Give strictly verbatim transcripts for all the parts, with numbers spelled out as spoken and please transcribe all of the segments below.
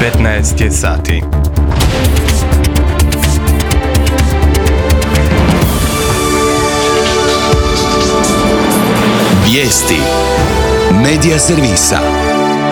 petnaest je sati. Vijesti Medija servisa.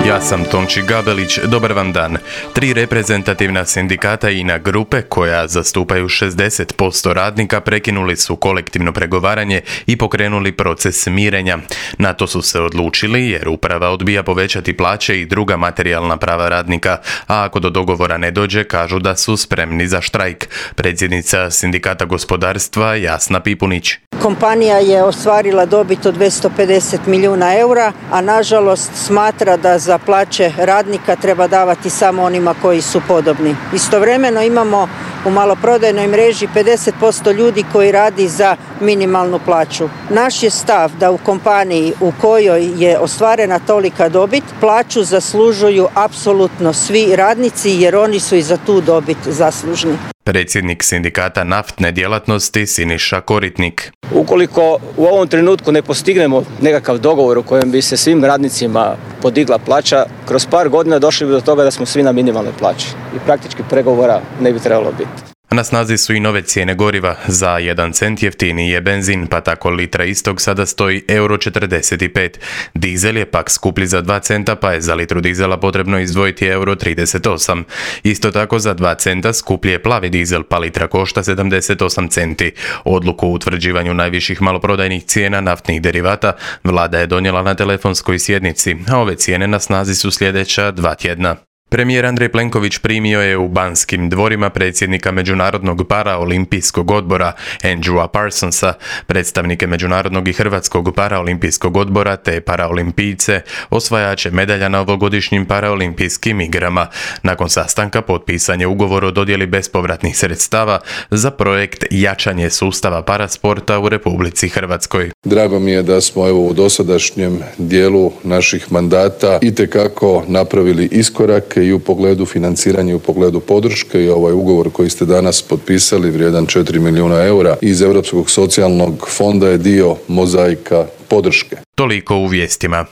Ja sam Tonči Gabelić, dobar vam dan. Tri reprezentativna sindikata I N A grupe, koja zastupaju šezdeset posto radnika, prekinuli su kolektivno pregovaranje I pokrenuli proces mirenja. Na to su se odlučili jer uprava odbija povećati plaće I druga materijalna prava radnika, a ako do dogovora ne dođe, kažu da su spremni za štrajk. Predsjednica Sindikata gospodarstva Jasna Pipunić. Kompanija je ostvarila dobit od dvjesto pedeset milijuna eura, a nažalost smatra da za plaće radnika treba davati samo onima koji su podobni. Istovremeno imamo u maloprodajnoj mreži pedeset posto ljudi koji radi za minimalnu plaću. Naš je stav da u kompaniji u kojoj je ostvarena tolika dobit, plaću zaslužuju apsolutno svi radnici jer oni su I za tu dobit zaslužni. Predsjednik sindikata naftne djelatnosti Siniša Koritnik. Ukoliko u ovom trenutku ne postignemo nekakav dogovor u kojem bi se svim radnicima podigla plaća, kroz par godina došli bi do toga da smo svi na minimalnoj plaći I praktički pregovora ne bi trebalo biti. Na snazi su I nove cijene goriva. Za jedan cent jeftiniji je benzin, pa tako litra istog sada stoji euro četrdeset pet. Dizel je pak skuplji za dva centa, pa je za litru dizela potrebno izdvojiti euro trideset osam. Isto tako za dva centa skuplji je plavi dizel, pa litra košta sedamdeset osam centi. Odluku o utvrđivanju najviših maloprodajnih cijena naftnih derivata vlada je donijela na telefonskoj sjednici, a ove cijene na snazi su sljedeća dva tjedna. Premijer Andrej Plenković primio je u Banskim dvorima predsjednika Međunarodnog paraolimpijskog odbora Andrewa Parsonsa, predstavnike Međunarodnog I Hrvatskog paraolimpijskog odbora te paraolimpijce, osvajače medalja na ovogodišnjim paraolimpijskim igrama. Nakon sastanka potpisan je ugovor o dodjeli bespovratnih sredstava za projekt jačanje sustava parasporta u Republici Hrvatskoj. Drago mi je da smo evo u dosadašnjem dijelu naših mandata itekako napravili iskorake I u pogledu financiranja I u pogledu podrške I ovaj ugovor koji ste danas potpisali vrijedan četiri milijuna eura iz Europskog socijalnog fonda je dio mozaika podrške. Toliko u vijestima.